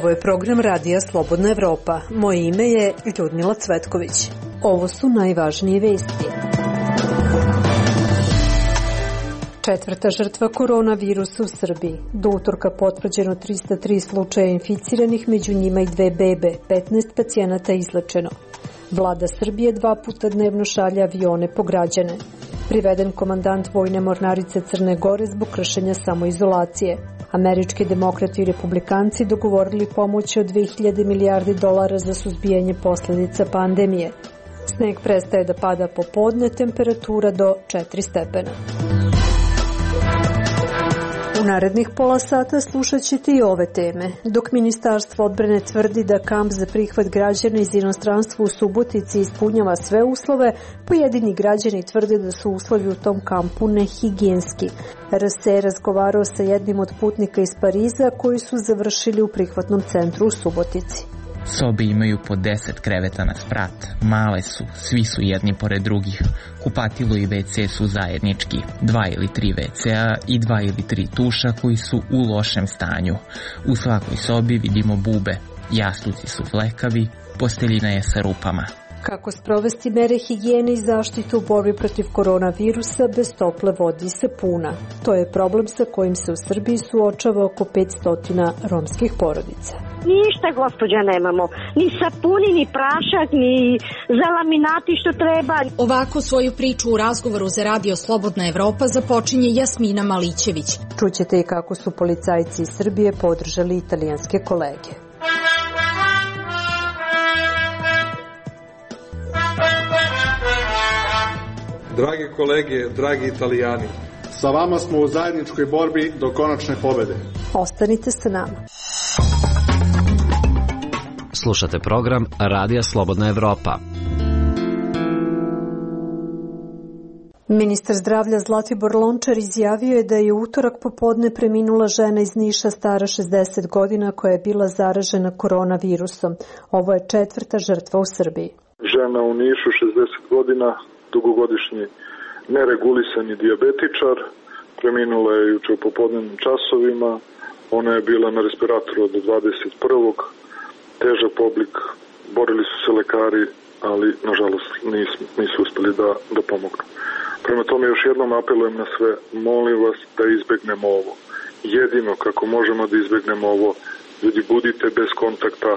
Ovo je program Radija Slobodna Evropa. Moje ime je Ljudmila Cvetković. Ovo su najvažnije vesti. Četvrta žrtva koronavirusa u Srbiji. Do utorka potvrđeno 303 slučaja inficiranih, među njima i 2 bebe, 15 pacijenata izlečeno. Vlada Srbije 2 puta dnevno šalje avione po građane. Priveden komandant Vojne mornarice Crne Gore zbog kršenja samoizolacije. Američki demokrati i republikanci dogovorili pomoć od 2000 milijardi dolara za suzbijanje posljedica pandemije. Sneg prestaje da pada popodne, temperatura do 4 stepena. U narednih pola sata slušat ćete i ove teme. Dok Ministarstvo odbrane tvrdi da kamp za prihvat građana iz inostranstva u Subotici ispunjava sve uslove, pojedini građani tvrde da su uslovi u tom kampu nehigijenski. RS je razgovarao sa jednim od putnika iz Pariza koji su završili u prihvatnom centru u Subotici. Sobe imaju po 10 kreveta na sprat, male su, svi su jedni pored drugih. Kupatilo i WC su zajednički, 2 ili 3 WC-a i 2 ili 3 tuša koji su u lošem stanju. U svakoj sobi vidimo bube, jastuci su flekavi, posteljina je sa rupama. Kako sprovesti mere higijene i zaštitu u borbi protiv koronavirusa bez tople vode i sapuna? To je problem sa kojim se u Srbiji suočava oko 500 romskih porodica. Ništa, gospođa, nemamo. Ni sapuni, ni prašak, ni za laminati što treba. Ovako svoju priču u razgovoru za Radio Slobodna Evropa započinje Jasmina Malićević. Čućete i kako su policajci iz Srbije podržali italijanske kolege. Drage kolege, dragi Italijani, sa vama smo u zajedničkoj borbi do konačne pobede. Ostanite sa nama. Slušate program Radija Slobodna Evropa. Ministar zdravlja Zlatibor Lončar izjavio je da je u utorak popodne preminula žena iz Niša stara 60 godina koja je bila zaražena koronavirusom. Ovo je 4. žrtva u Srbiji. Žena u Nišu, 60 godina, dugogodišnji neregulisani dijabetičar, preminula je juče u popodnevnim časovima. Ona je bila na respiratoru od 21. Težak oblik, borili su se lekari, ali nažalost nisu uspeli da pomognu. Prema tome još jednom apelujem na sve, molim vas da izbegnemo ovo. Jedino kako možemo da izbegnemo ovo, ljudi, budite bez kontakta,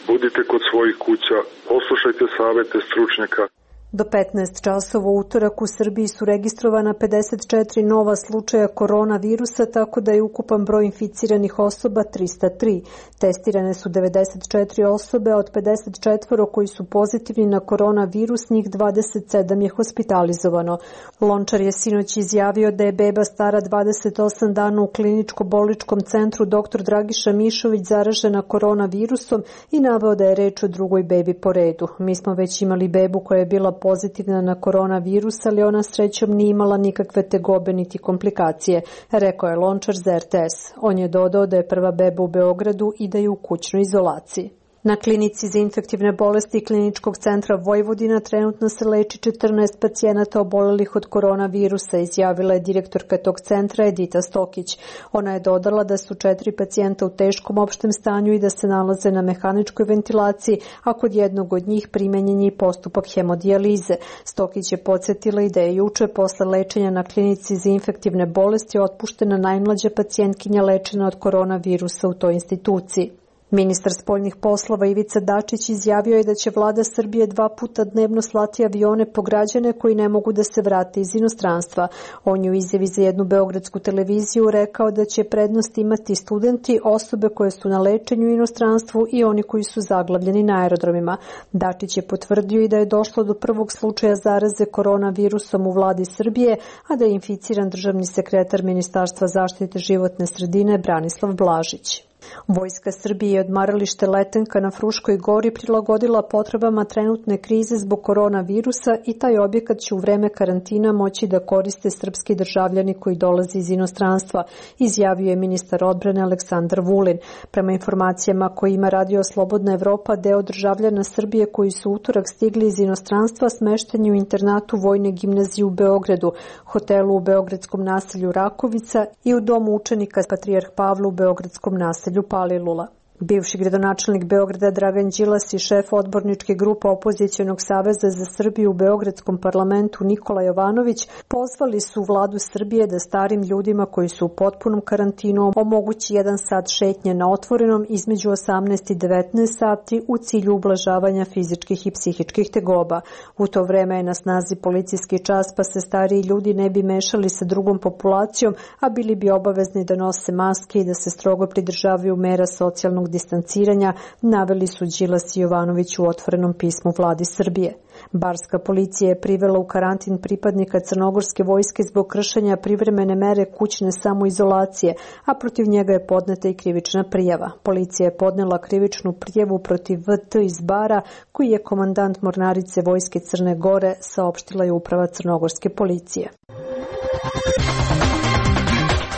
budite kod svojih kuća, poslušajte savete stručnjaka. Do 15 časova u utorak u Srbiji su registrovana 54 nova slučaja koronavirusa, tako da je ukupan broj inficiranih osoba 303. Testirane su 94 osobe, od 54 koji su pozitivni na koronavirus, njih 27 je hospitalizovano. Lončar je sinoć izjavio da je beba stara 28 dana u kliničko-bolničkom centru dr. Dragiša Mišović zaražena koronavirusom i naveo da je reč o drugoj bebi po redu. Mi smo već imali bebu koja je bila pozitivna na koronavirus, ali ona srećom nije imala nikakve tegobe niti komplikacije, rekao je Lončar za RTS. On je dodao da je prva beba u Beogradu i da je u kućnoj izolaciji. Na klinici za infektivne bolesti Kliničkog centra Vojvodina trenutno se leči 14 pacijenata obolelih od koronavirusa, izjavila je direktorka tog centra Edita Stokić. Ona je dodala da su 4 pacijenta u teškom opštem stanju i da se nalaze na mehaničkoj ventilaciji, a kod jednog od njih primenjen je i postupak hemodijalize. Stokić je podsjetila i da je juče posle lečenja na klinici za infektivne bolesti otpuštena najmlađa pacijentkinja lečena od koronavirusa u toj instituciji. Ministar spoljnih poslova Ivica Dačić izjavio je da će vlada Srbije 2 puta dnevno slati avione po građane koji ne mogu da se vrate iz inostranstva. On je u izjavi za jednu beogradsku televiziju rekao da će prednost imati studenti, osobe koje su na lečenju u inostranstvu i oni koji su zaglavljeni na aerodromima. Dačić je potvrdio i da je došlo do prvog slučaja zaraze koronavirusom u vladi Srbije, a da je inficiran državni sekretar Ministarstva zaštite životne sredine Branislav Blažić. Vojska Srbije je odmaralište Letenka na Fruškoj gori prilagodila potrebama trenutne krize zbog koronavirusa i taj objekat će u vreme karantina moći da koriste srpski državljani koji dolaze iz inostranstva, izjavio je ministar odbrane Aleksandar Vulin. Prema informacijama koje ima Radio Slobodna Evropa, deo državljana Srbije koji su utorak stigli iz inostranstva smešten je u internatu Vojne gimnazije u Beogradu, hotelu u beogradskom naselju Rakovica i u domu učenika Patrijarh Pavla u beogradskom naselju Palilula. Bivši gradonačelnik Beograda Dragan Đilas i šef odborničke grupe Opozicionog saveza za Srbiju u Beogradskom parlamentu Nikola Jovanović pozvali su vladu Srbije da starim ljudima koji su u potpunom karantinu omogući 1 sat šetnje na otvorenom između 18 i 19 sati u cilju ublažavanja fizičkih i psihičkih tegoba. U to vreme je na snazi policijski čas, pa se stariji ljudi ne bi mešali sa drugom populacijom, a bili bi obavezni da nose maske i da se strogo pridržavaju mera socijalnog distanciranja, naveli su Đilas i Jovanović u otvorenom pismu vladi Srbije. Barska policija je privela u karantin pripadnika crnogorske vojske zbog kršenja privremene mere kućne samoizolacije, a protiv njega je podneta i krivična prijava. Policija je podnela krivičnu prijavu protiv VT iz Bara, koji je komandant mornarice vojske Crne Gore, saopštila je uprava crnogorske policije.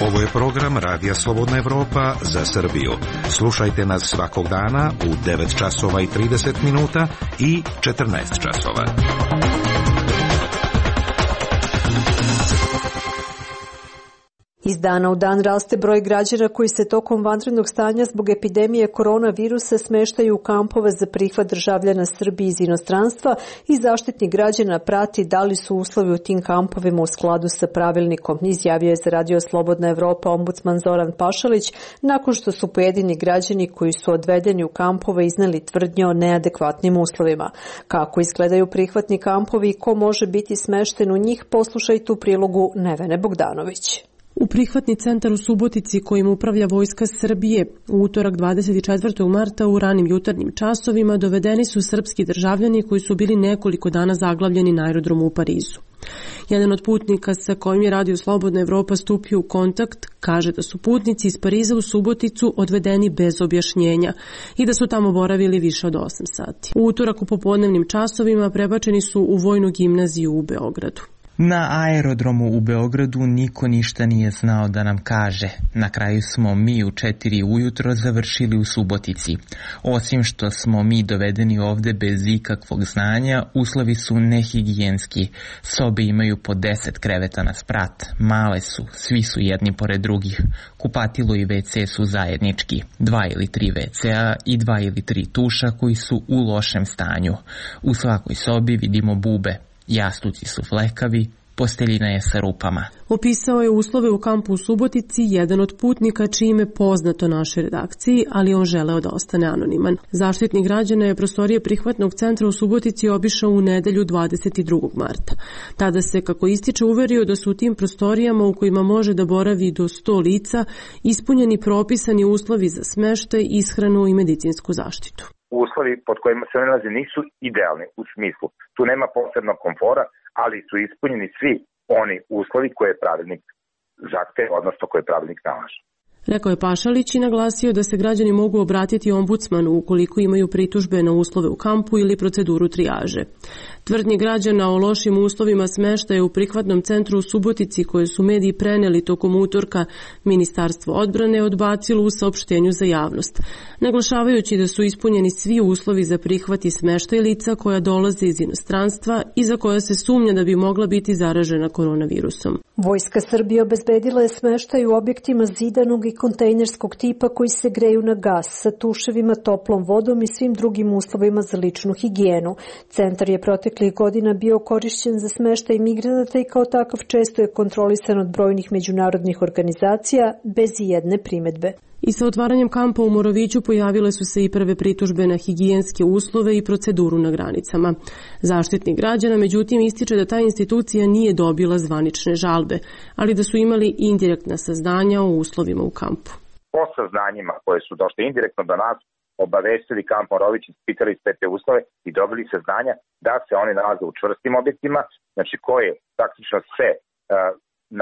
Ovo je program Radija Slobodna Evropa za Srbiju. Slušajte nas svakog dana u 9 časova i 30 minuta i 14 časova. Iz dana u dan raste broj građana koji se tokom vanrednog stanja zbog epidemije koronavirusa smeštaju u kampove za prihvat državljana Srbije iz inostranstva i Zaštitnik građana prati da li su uslovi u tim kampovima u skladu sa pravilnikom, izjavio je za Radio Slobodna Evropa ombudsman Zoran Pašalić nakon što su pojedini građani koji su odvedeni u kampove izneli tvrdnje o neadekvatnim uslovima. Kako izgledaju prihvatni kampovi i ko može biti smešten u njih, poslušajte u prilogu Nevene Bogdanović. U prihvatni centar u Subotici kojim upravlja Vojska Srbije u utorak 24. marta u ranim jutarnjim časovima dovedeni su srpski državljani koji su bili nekoliko dana zaglavljeni na aerodromu u Parizu. Jedan od putnika sa kojim je Radio Slobodna Evropa stupio u kontakt kaže da su putnici iz Pariza u Suboticu odvedeni bez objašnjenja i da su tamo boravili više od 8 sati. U utorak u popodnevnim časovima prebačeni su u Vojnu gimnaziju u Beogradu. Na aerodromu u Beogradu niko ništa nije znao da nam kaže. Na kraju smo mi u 4 ujutro završili u Subotici. Osim što smo mi dovedeni ovde bez ikakvog znanja, uslovi su nehigijenski. Sobe imaju po 10 kreveta na sprat. Male su, svi su jedni pored drugih. Kupatilo i WC su zajednički. 2 ili 3 WC-a i 2 ili 3 tuša koji su u lošem stanju. U svakoj sobi vidimo bube. Jastuci su flekavi, posteljina je sa rupama. Opisao je uslove u kampu u Subotici jedan od putnika čije ime poznato našoj redakciji, ali on želeo da ostane anoniman. Zaštitnik građana je prostorije prihvatnog centra u Subotici obišao u nedelju 22. marta. Tada se, kako ističe, uverio da su u tim prostorijama u kojima može da boravi do 100 lica ispunjeni propisani uslovi za smeštaj, ishranu i medicinsku zaštitu. Uslovi pod kojima se nalaze nisu idealni u smislu. Tu nema posebnog komfora, ali su ispunjeni svi oni uslovi koje je pravilnik zahteva, odnosno koje pravilnik nalaže. Rekao je Pašalić i naglasio da se građani mogu obratiti ombudsmanu ukoliko imaju pritužbe na uslove u kampu ili proceduru trijaže. Tvrdnje građana o lošim uslovima smeštaja u prihvatnom centru u Subotici koje su mediji preneli tokom utorka Ministarstvo odbrane odbacilo u saopštenju za javnost, naglašavajući da su ispunjeni svi uslovi za prihvat i smeštaj lica koja dolaze iz inostranstva i za koja se sumnja da bi mogla biti zaražena koronavirusom. Vojska Srbije obezbedila je smeštaj u objektima zidanog i kontejnerskog tipa koji se greju na gas sa tuševima, toplom vodom i svim drugim uslovima za ličnu higijenu. Centar je proteklih godina bio korišćen za smeštaj migranata i kao takav često je kontrolisan od brojnih međunarodnih organizacija bez ijedne primedbe. I sa otvaranjem kampa u Moroviću pojavile su se i prve pritužbe na higijenske uslove i proceduru na granicama. Zaštitnik građana međutim ističe da ta institucija nije dobila zvanične žalbe, ali da su imali indirektna saznanja o uslovima u kampu. Po saznanjima koje su došle indirektno do nas, obavestili kamp Morović, ispitali sve te uslove i dobili saznanja da se oni nalaze u čvrstim objektima, znači koje praktično sve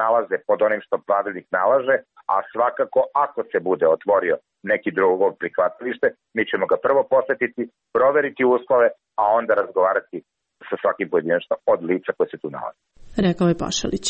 nalaze pod onim što pravilnik nalaže, a svakako ako se bude otvorio neki drugo prihvatilište, mi ćemo ga prvo posetiti, proveriti uslove, a onda razgovarati sa svakim pojedinačno od lica koje se tu nalaze. Rekao je Pašalić.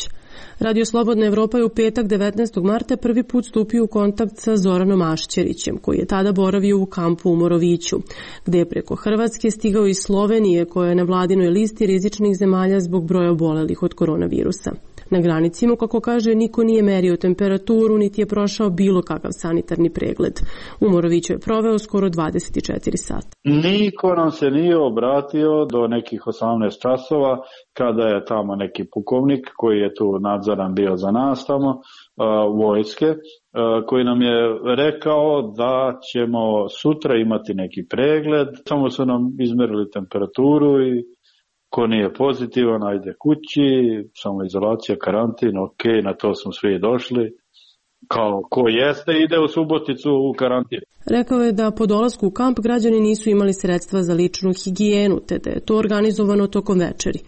Radio Slobodna Evropa je u petak 19. marta prvi put stupio u kontakt sa Zoranom Ašćerićem, koji je tada boravio u kampu u Moroviću, gde je preko Hrvatske stigao iz Slovenije, koja je na vladinoj listi rizičnih zemalja zbog broja obolelih od koronavirusa. Na granicima, kako kaže, niko nije merio temperaturu, niti je prošao bilo kakav sanitarni pregled. U Moroviću je proveo skoro 24 sata. Niko nam se nije obratio do nekih 18 časova, kada je tamo neki pukovnik koji je tu nadzoran bio za nas tamo, vojske, koji nam je rekao da ćemo sutra imati neki pregled. Samo su nam izmerili temperaturu i ko nije pozitivan, ajde kući, samoizolacija, karantin, ok, na to smo svi došli. Kao ko jeste, ide u Suboticu u karantin. Rekao je da po dolasku u kamp građani nisu imali sredstva za ličnu higijenu, te da je to organizovano tokom večeri.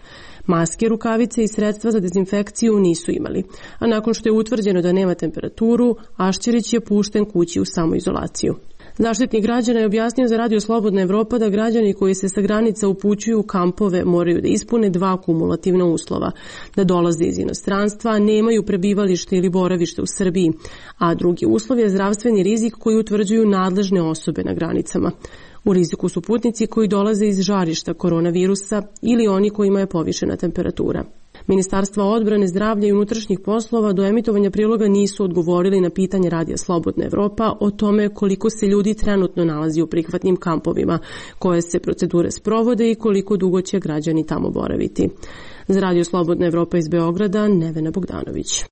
Maske, rukavice i sredstva za dezinfekciju nisu imali. A nakon što je utvrđeno da nema temperaturu, Ašćerić je pušten kući u samoizolaciju. Zaštitnik građana je objasnio za Radio Slobodna Evropa da građani koji se sa granica upućuju u kampove moraju da ispune 2 kumulativna uslova, da dolaze iz inostranstva, nemaju prebivalište ili boravište u Srbiji, a drugi uslov je zdravstveni rizik koji utvrđuju nadležne osobe na granicama. U riziku su putnici koji dolaze iz žarišta koronavirusa ili oni kojima je povišena temperatura. Ministarstva odbrane, zdravlja i unutrašnjih poslova do emitovanja priloga nisu odgovorili na pitanje Radija Slobodna Evropa o tome koliko se ljudi trenutno nalazi u prihvatnim kampovima, koje se procedure sprovode i koliko dugo će građani tamo boraviti. Za Radio Slobodna Evropa iz Beograda, Nevena Bogdanović.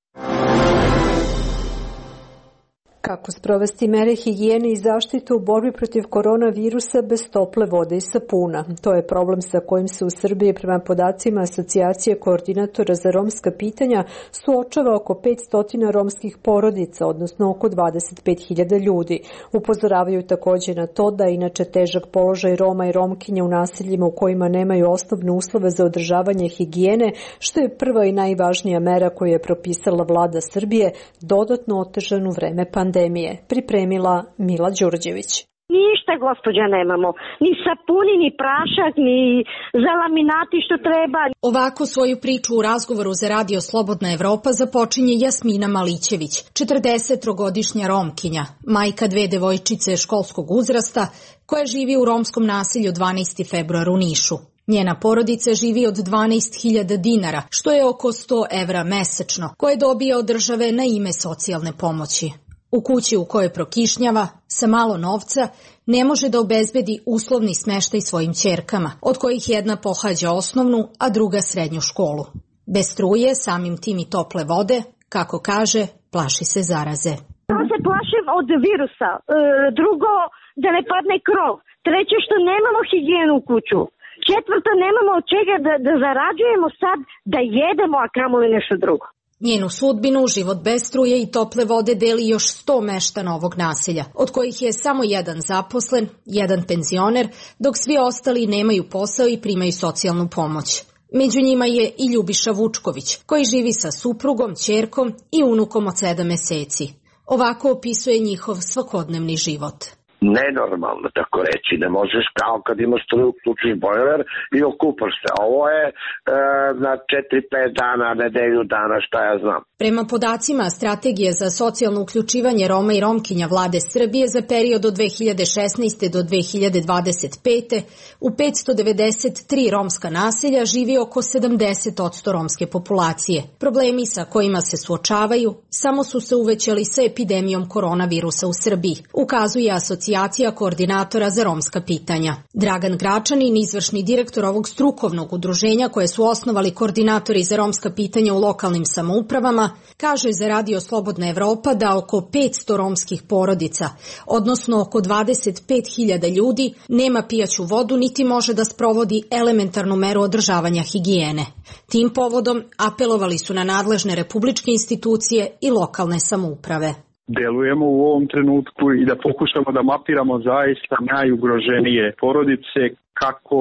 Kako sprovesti mere higijene i zaštitu u borbi protiv koronavirusa bez tople vode i sapuna? To je problem sa kojim se u Srbiji prema podacima Asocijacije koordinatora za romska pitanja suočava oko 500 romskih porodica, odnosno oko 25.000 ljudi. Upozoravaju također na to da inače težak položaj Roma i Romkinja u naseljima u kojima nemaju osnovne uslove za održavanje higijene, što je prva i najvažnija mera koju je propisala vlada Srbije, dodatno otežan u vreme pandemije. Pripremila Mila Đurđević. Ništa, gospođa, nemamo. Ni sapuni, ni prašak, ni za laminati što treba. Ovako svoju priču u razgovoru za Radio Slobodna Evropa započinje Jasmina Malićević, 40-godišnja Romkinja, majka 2 devojčice školskog uzrasta, koja živi u romskom naselju 12. februar u Nišu. Njena porodica živi od 12.000 dinara, što je oko 100 evra mesečno, koje dobija od države na ime socijalne pomoći. U kući u kojoj prokišnjava, sa malo novca, ne može da obezbedi uslovni smeštaj svojim ćerkama, od kojih jedna pohađa osnovnu, a druga srednju školu. Bez struje, samim tim i tople vode, kako kaže, plaši se zaraze. Ja se plašim od virusa, drugo da ne padne krov, treće što nemamo higijenu u kuću, četvrto nemamo od čega da zarađujemo sad da jedemo, a kamoli nešto drugo. Njenu sudbinu, život bez struje i tople vode deli još 100 meštana ovog naselja, od kojih je samo jedan zaposlen, jedan penzioner, dok svi ostali nemaju posao i primaju socijalnu pomoć. Među njima je i Ljubiša Vučković, koji živi sa suprugom, ćerkom i unukom od 7 meseci. Ovako opisuje njihov svakodnevni život. Nenormalno, tako reći, ne možeš kao kad imaš struju, uključiš bojler i okupaš se. Ovo je na 4-5 dana, nedelju dana, šta ja znam. Prema podacima Strategije za socijalno uključivanje Roma i Romkinja vlade Srbije za period od 2016. do 2025. u 593 romska naselja živi oko 70% romske populacije. Problemi sa kojima se suočavaju samo su se uvećali sa epidemijom koronavirusa u Srbiji, ukazuje Asocijacija koordinatora za romska pitanja. Dragan Gračanin, izvršni direktor ovog strukovnog udruženja koje su osnovali koordinatori za romska pitanja u lokalnim samoupravama, kaže za Radio Slobodna Evropa da oko 500 romskih porodica, odnosno oko 25.000 ljudi, nema pijaću vodu niti može da sprovodi elementarnu meru održavanja higijene. Tim povodom apelovali su na nadležne republičke institucije i lokalne samouprave. Delujemo u ovom trenutku i da pokušamo da mapiramo zaista najugroženije porodice kako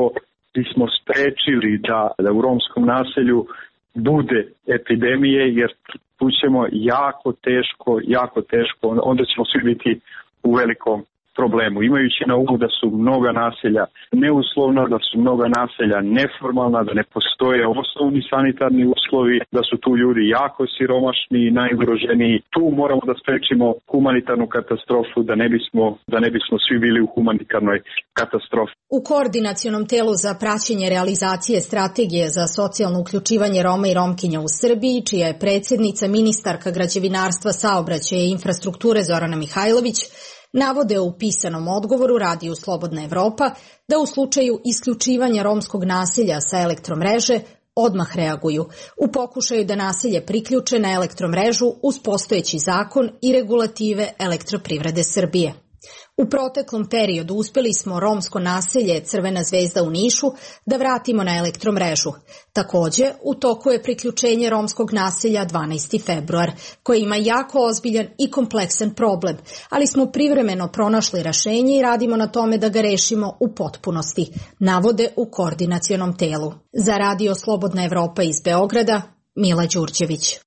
bismo sprečili da u romskom naselju bude epidemije, jer tu ćemo jako teško, onda ćemo svi biti u velikom problemu, imajući na umu da su mnoga naselja neuslovna, da su mnoga naselja neformalna, da ne postoje osnovni sanitarni uslovi, da su tu ljudi jako siromašni i najugroženiji. Tu moramo da sprečimo humanitarnu katastrofu, da ne bismo svi bili u humanitarnoj katastrofi. U Koordinacionom telu za praćenje realizacije strategije za socijalno uključivanje Roma i Romkinja u Srbiji, čija je predsjednica ministarka građevinarstva, saobraćaja i infrastrukture Zorana Mihajlović, navode u pisanom odgovoru Radiju Slobodna Evropa da u slučaju isključivanja romskog naselja sa elektromreže odmah reaguju u pokušaju da naselje priključe na elektromrežu uz postojeći zakon i regulative Elektroprivrede Srbije. U proteklom periodu uspeli smo romsko naselje Crvena zvezda u Nišu da vratimo na elektromrežu. Takođe, u toku je priključenje romskog naselja 12. februar, koje ima jako ozbiljan i kompleksan problem, ali smo privremeno pronašli rešenje i radimo na tome da ga rešimo u potpunosti, navode u Koordinacionom telu. Za Radio Slobodna Evropa iz Beograda, Mila Đurđević.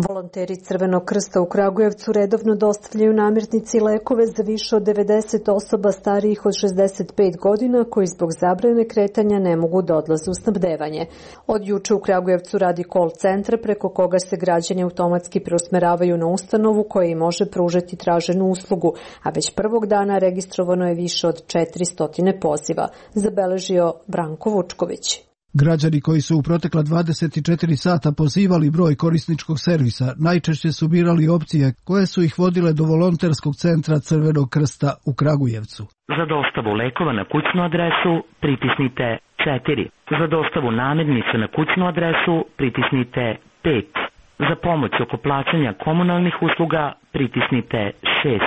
Volonteri Crvenog krsta u Kragujevcu redovno dostavljaju namirnice i lekove za više od 90 osoba starijih od 65 godina koji zbog zabrane kretanja ne mogu da odlaze u snabdevanje. Od juče u Kragujevcu radi call centar preko koga se građani automatski preusmeravaju na ustanovu koja im može pružiti traženu uslugu, a već prvog dana registrovano je više od 400 poziva, zabeležio Branko Vučković. Građani koji su u protekla 24 sata pozivali broj korisničkog servisa najčešće su birali opcije koje su ih vodile do volonterskog centra Crvenog krsta u Kragujevcu. Za dostavu lekova na kućnu adresu pritisnite 4. Za dostavu namirnica na kućnu adresu pritisnite 5. Za pomoć oko plaćanja komunalnih usluga pritisnite 6.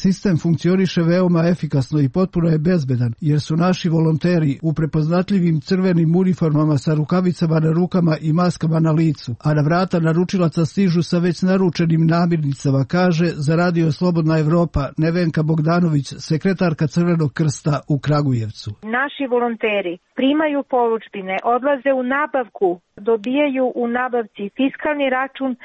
Sistem funkcioniše veoma efikasno i potpuno je bezbedan, jer su naši volonteri u prepoznatljivim crvenim uniformama sa rukavicama na rukama i maskama na licu, a na vrata naručilaca stižu sa već naručenim namirnicama, kaže za Radio Slobodna Evropa Nevenka Bogdanović, sekretarka Crvenog krsta u Kragujevcu. Naši volonteri primaju poručbine, odlaze u nabavku, dobijaju u nabavci fiskalni račun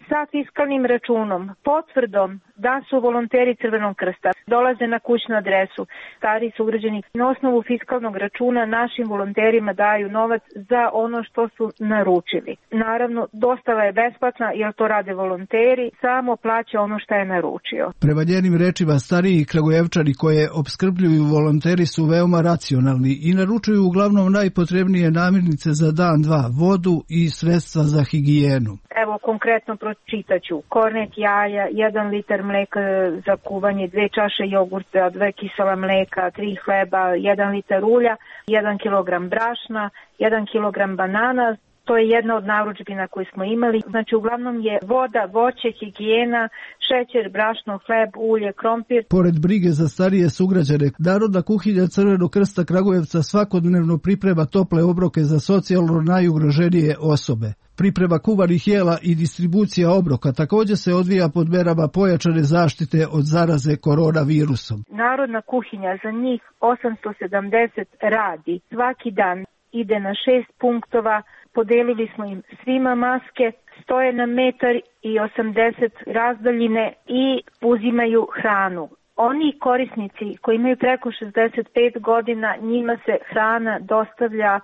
sa fiskalnim računom, potvrdom da su volonteri Crvenog krsta, dolaze na kućnu adresu. Stari sugrađani na osnovu fiskalnog računa našim volonterima daju novac za ono što su naručili. Naravno, dostava je besplatna jer to rade volonteri, samo plaća ono što je naručio. Prema njenim rečima, stariji Kragujevčani koje opskrbljuju volonteri su veoma racionalni i naručuju uglavnom najpotrebnije namirnice za dan, dva, vodu i sredstva za higijenu. Evo, konkretno pročitaću. Kornet jaja, 1 litar mleka za kuvanje, 2 čaše jogurta, 2 kisela mleka, 3 hleba, 1 litar ulja, 1 kilogram brašna, 1 kilogram banana. To je jedna od narudžbina koje smo imali. Znači, uglavnom je voda, voće, higijena, šećer, brašno, hleb, ulje, krompir. Pored brige za starije sugrađane, Narodna kuhinja Crvenog krsta Kragujevca svakodnevno priprema tople obroke za socijalno najugroženije osobe. Priprema kuvanih jela i distribucija obroka također se odvija pod merama pojačane zaštite od zaraze koronavirusom. Narodna kuhinja za njih 870 radi. Svaki dan ide na 6 punktova. Podelili smo im svima maske, stoje na 1,80 m razdaljine i uzimaju hranu. Oni korisnici koji imaju preko 65 godina, njima se hrana dostavlja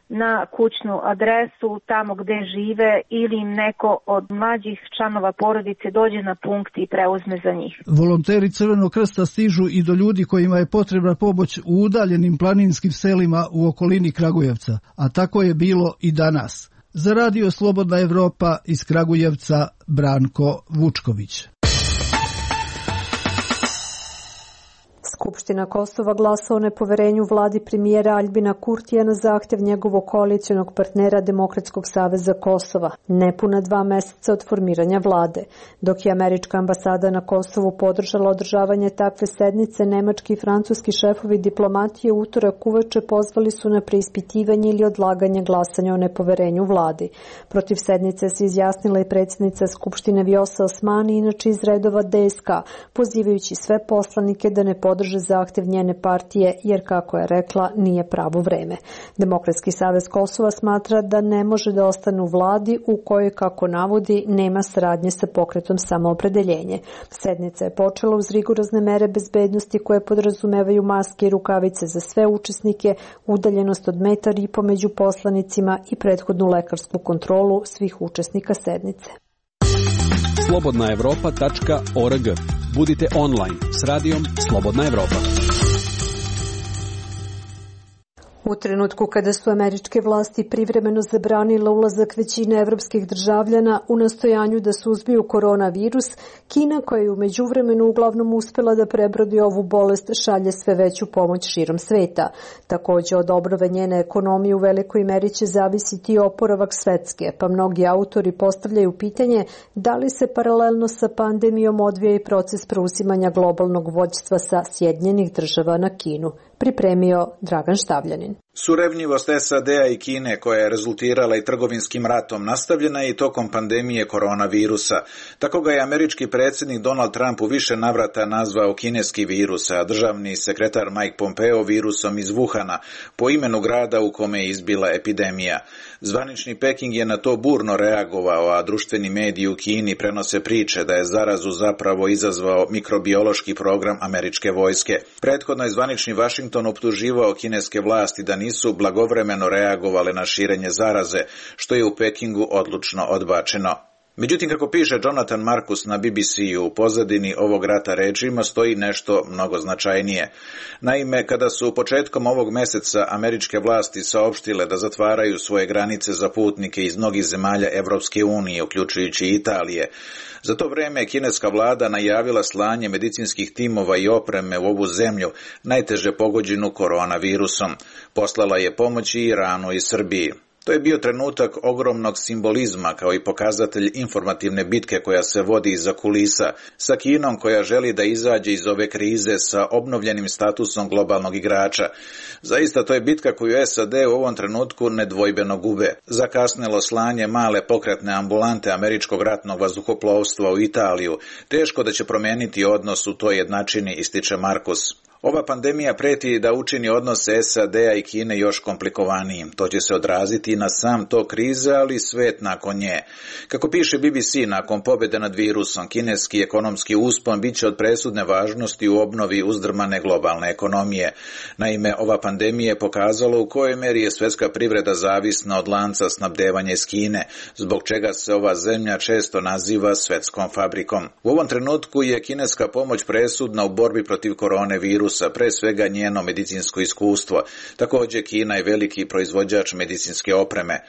na kućnu adresu tamo gde žive ili im neko od mlađih članova porodice dođe na punkt i preuzme za njih. Volonteri Crvenog krsta stižu i do ljudi kojima je potrebna pomoć u udaljenim planinskim selima u okolini Kragujevca, a tako je bilo i danas. Za Radio Slobodna Evropa iz Kragujevca Branko Vučković. Skupština Kosova glasa o nepoverenju vladi premijera Aljbina Kurtija na zahtjev njegovog koalicionog partnera Demokratskog saveza Kosova, nepuna 2 meseca od formiranja vlade. Dok je američka ambasada na Kosovu podržala održavanje takve sednice, nemački i francuski šefovi diplomatije u utorak uveče pozvali su na preispitivanje ili odlaganje glasanja o nepoverenju vladi. Protiv sednice se izjasnila i predsjednica Skupštine Vjosa Osmani, inače iz redova DSK, pozivajući sve poslanike da ne podrže podrže zahtev njene partije, jer kako je rekla, nije pravo vreme. Demokratski savez Kosova smatra da ne može da ostane u vladi u kojoj, kako navodi, nema saradnje sa pokretom Samoopredeljenje. Sednica je počela uz rigorozne mere bezbednosti koje podrazumevaju maske i rukavice za sve učesnike, udaljenost od 1,5 metra među poslanicima i prethodnu lekarsku kontrolu svih učesnika sednice. slobodnaevropa.org. Budite online s radijom Slobodna Evropa. U trenutku kada su američke vlasti privremeno zabranile ulazak većine evropskih državljana u nastojanju da suzbiju koronavirus, Kina, koja je u međuvremenu uglavnom uspela da prebrodi ovu bolest, šalje sve veću pomoć širom sveta. Takođe, od obnove njene ekonomije u velikoj meri će zavisiti i oporavak svetske, pa mnogi autori postavljaju pitanje da li se paralelno sa pandemijom odvija i proces preuzimanja globalnog vođstva sa Sjedinjenih Država na Kinu. Pripremio Dragan Štavljanin. Surevnjivost SAD-a i Kine, koja je rezultirala i trgovinskim ratom, nastavljena je i tokom pandemije koronavirusa. Tako ga je američki predsjednik Donald Trump u više navrata nazvao kineski virus, a državni sekretar Mike Pompeo virusom iz Wuhana, po imenu grada u kome je izbila epidemija. Zvanični Peking je na to burno reagovao, a društveni mediji u Kini prenose priče da je zarazu zapravo izazvao mikrobiološki program američke vojske. Prethodno je zvanični Washington optuživao kineske vlasti da nisu blagovremeno reagovale na širenje zaraze, što je u Pekingu odlučno odbačeno. Međutim, kako piše Jonathan Marcus na BBC-u, u pozadini ovog rata režima stoji nešto mnogo značajnije. Naime, kada su početkom ovog meseca američke vlasti saopštile da zatvaraju svoje granice za putnike iz mnogih zemalja Evropske unije, uključujući i Italije, za to vreme kineska vlada najavila slanje medicinskih timova i opreme u ovu zemlju, najteže pogođenu koronavirusom. Poslala je pomoć i Iranu i Srbiji. To je bio trenutak ogromnog simbolizma kao i pokazatelj informativne bitke koja se vodi iza kulisa, sa Kinom koja želi da izađe iz ove krize sa obnovljenim statusom globalnog igrača. Zaista to je bitka koju SAD u ovom trenutku nedvojbeno gube. Zakasnelo slanje male pokretne ambulante američkog ratnog vazduhoplovstva u Italiju teško da će promijeniti odnos u toj jednačini, ističe Markus. Ova pandemija preti da učini odnose SAD-a i Kine još komplikovanijim. To će se odraziti na sam tok krize, ali i svet nakon nje. Kako piše BBC, nakon pobjede nad virusom, kineski ekonomski uspon bit će od presudne važnosti u obnovi uzdrmane globalne ekonomije. Naime, ova pandemija je pokazala u kojoj meri je svjetska privreda zavisna od lanca snabdevanja iz Kine, zbog čega se ova zemlja često naziva svetskom fabrikom. U ovom trenutku je kineska pomoć presudna u borbi protiv koronavirusa, pre svega njeno medicinsko iskustvo. Također Kina je veliki proizvođač medicinske opreme.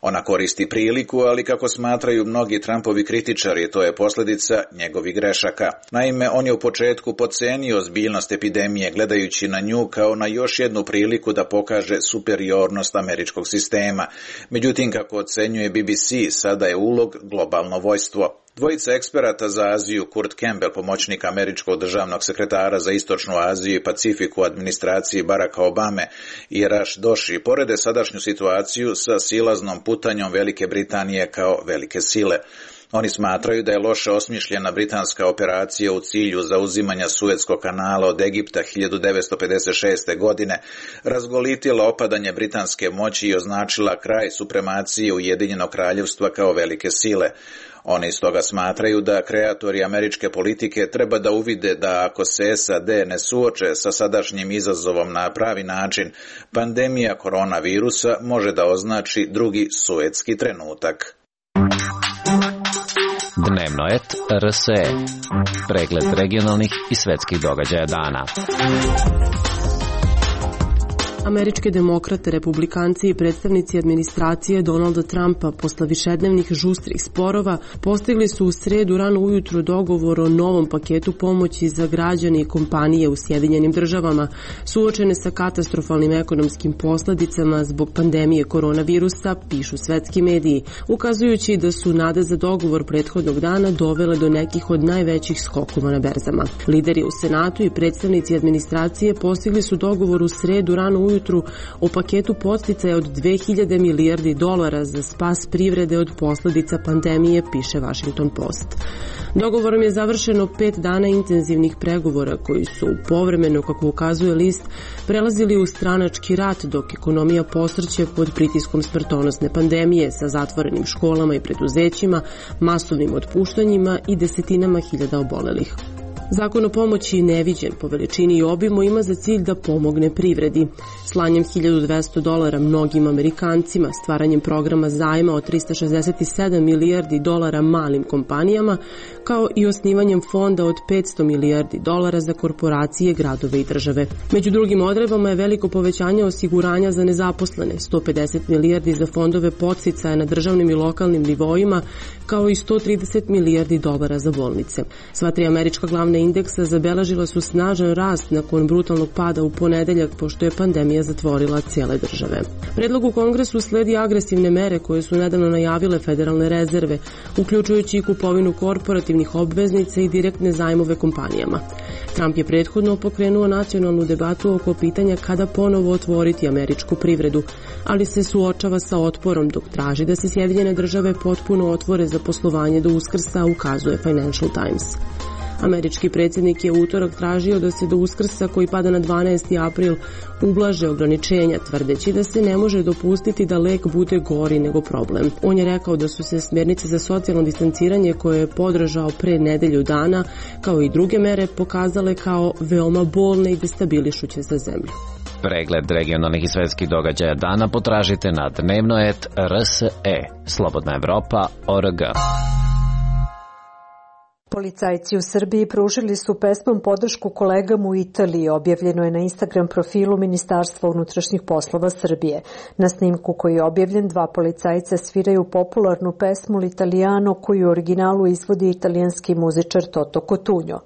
Ona koristi priliku, ali kako smatraju mnogi Trumpovi kritičari, to je posljedica njegovih grešaka. Naime, on je u početku podcenio ozbiljnost epidemije, gledajući na nju kao na još jednu priliku da pokaže superiornost američkog sistema. Međutim, kako ocenjuje BBC, sada je ulog globalno vojstvo. Dvojica eksperata za Aziju, Kurt Campbell, pomoćnik američkog državnog sekretara za Istočnu Aziju i Pacifiku u administraciji Baracka Obame, i Rash Doshi, porede sadašnju situaciju sa silaznom putanjom Velike Britanije kao velike sile. Oni smatraju da je loše osmišljena britanska operacija u cilju zauzimanja Suetskog kanala od Egipta 1956. godine razgolitila opadanje britanske moći i označila kraj supremacije Ujedinjenog kraljevstva kao velike sile. Oni stoga smatraju da kreatori američke politike treba da uvide da ako se SAD ne suoče sa sadašnjim izazovom na pravi način, pandemija koronavirusa može da označi drugi suetski trenutak. Dnevnoet RSE. Pregled regionalnih i svetskih događaja dana. Američke demokrate, republikanci i predstavnici administracije Donalda Trumpa posle višednevnih žustrih sporova postigli su u sredu rano ujutru dogovor o novom paketu pomoći za građane i kompanije u Sjedinjenim Državama suočene sa katastrofalnim ekonomskim posledicama zbog pandemije koronavirusa, pišu svetski mediji, ukazujući da su nade za dogovor prethodnog dana dovele do nekih od najvećih skokova na berzama. Lideri u Senatu i predstavnici administracije postigli su dogovor u sredu rano ujutru ujutru o paketu podsticaja od 2000 milijardi dolara za spas privrede od posledica pandemije, piše Washington Post. Dogovorom je završeno 5 dana intenzivnih pregovora koji su povremeno, kako ukazuje list, prelazili u stranački rat dok ekonomija posrće pod pritiskom smrtonosne pandemije sa zatvorenim školama i preduzećima, masovnim otpuštanjima i desetinama hiljada obolelih. Zakon o pomoći, neviđen po veličini i obimu, ima za cilj da pomogne privredi. Slanjem $1.200 mnogim Amerikancima, stvaranjem programa zajma od 367 milijardi dolara malim kompanijama, kao i osnivanjem fonda od 500 milijardi dolara za korporacije, gradove i države. Među drugim odredbama je veliko povećanje osiguranja za nezaposlene, 150 milijardi za fondove podsticaja na državnim i lokalnim nivoima, kao i 130 milijardi dolara za bolnice. Sva tri američka glavna indeksa zabeležila su snažan rast nakon brutalnog pada u ponedeljak, pošto je pandemija zatvorila cijele države. Predlog u Kongresu sledi agresivne mere koje su nedavno najavile federalne rezerve, uključujući i kupovinu korporativnih obveznica i direktne zajmove kompanijama. Trump je prethodno pokrenuo nacionalnu debatu oko pitanja kada ponovo otvoriti američku privredu, ali se suočava sa otporom dok traži da se Sjedinjene države potpuno otvore za poslovanje do Uskrsa, ukazuje Financial Times. Američki predsjednik je u utorak tražio da se do Uskrsa, koji pada na 12. april, ublaže ograničenja, tvrdeći da se ne može dopustiti da lek bude gori nego problem. On je rekao da su se smjernice za socijalno distanciranje, koje je podržao pre nedelju dana, kao i druge mere, pokazale kao veoma bolne i destabilišuće za zemlju. Pregled regionalnih i svetskih događaja dana potražite na dnevno.rse, slobodnaevropa.org. Policajci u Srbiji pružili su pesmom podršku kolegama u Italiji, objavljeno je na Instagram profilu Ministarstva unutrašnjih poslova Srbije. Na snimku koji je objavljen, 2 policajca sviraju popularnu pesmu L'Italiano, koju u originalu izvodi italijanski muzičar Toto Cotugno.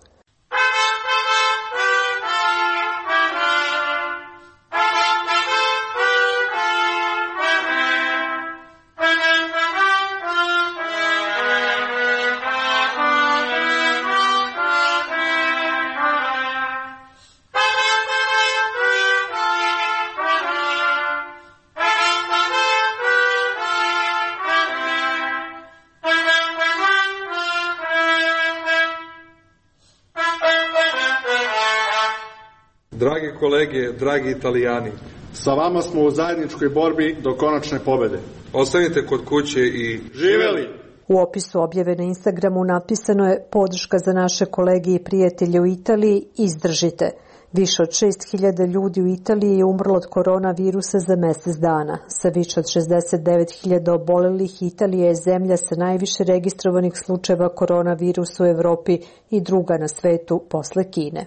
Dragi kolege, dragi Italijani, sa vama smo u zajedničkoj borbi do konačne pobede. Ostanite kod kuće i živeli! U opisu objave na Instagramu napisano je: podrška za naše kolege i prijatelje u Italiji, izdržite. Više od 6.000 ljudi u Italiji je umrlo od koronavirusa za mjesec dana. Sa više od 69.000 obolelih, Italija je zemlja sa najviše registrovanih slučajeva koronavirusa u Evropi i druga na svetu posle Kine.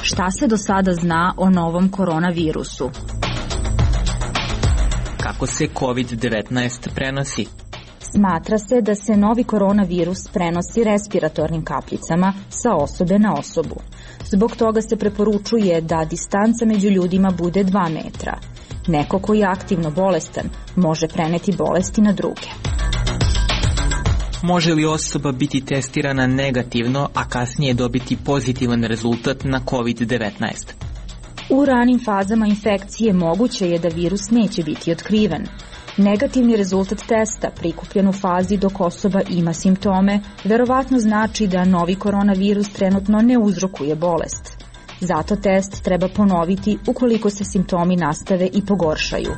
Šta se do sada zna o novom koronavirusu? Kako se COVID-19 prenosi? Smatra se da se novi koronavirus prenosi respiratornim kapljicama sa osobe na osobu. Zbog toga se preporučuje da distanca među ljudima bude 2 metra. Neko koji je aktivno bolestan može preneti bolesti na druge. Može li osoba biti testirana negativno, a kasnije dobiti pozitivan rezultat na COVID-19? U ranim fazama infekcije moguće je da virus neće biti otkriven. Negativni rezultat testa prikupljen u fazi dok osoba ima simptome verovatno znači da novi koronavirus trenutno ne uzrokuje bolest. Zato test treba ponoviti ukoliko se simptomi nastave i pogoršaju.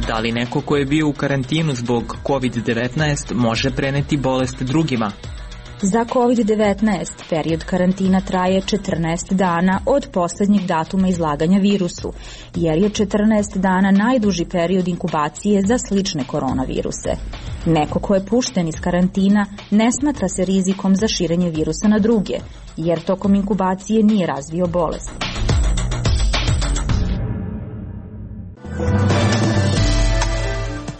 Da li neko ko je bio u karantinu zbog COVID-19 može preneti bolest drugima? Za COVID-19 period karantina traje 14 dana od posljednjeg datuma izlaganja virusu, jer je 14 dana najduži period inkubacije za slične koronaviruse. Neko ko je pušten iz karantina ne smatra se rizikom za širenje virusa na druge, jer tokom inkubacije nije razvio bolest.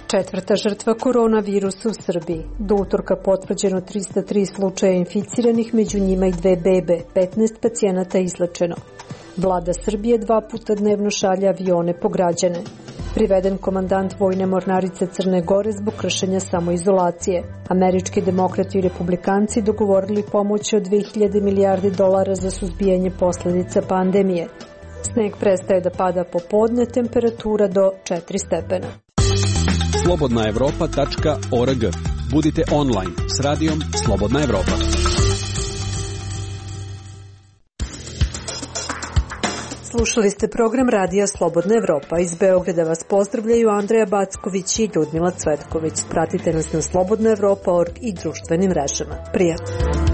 Četvrta žrtva koronavirusa u Srbiji. Do utorka potvrđeno 303 slučaja inficiranih, među njima i 2 bebe, 15 pacijenata izlečeno. Vlada Srbije 2 puta dnevno šalje avione po građane. Priveden komandant vojne mornarice Crne Gore zbog kršenja samoizolacije. Američki demokrati i republikanci dogovorili pomoć od 2000 milijardi dolara za suzbijanje posledica pandemije. Sneg prestaje da pada popodne, temperatura do 4 stepena. slobodnaevropa.org. Budite online s radijom Slobodna Evropa. Slušali ste program Radija Slobodna Evropa. Iz Beograda vas pozdravljaju Andreja Backović i Ljudmila Cvetković. Pratite nas na slobodnaevropa.org i društvenim mrežama. Prijatno!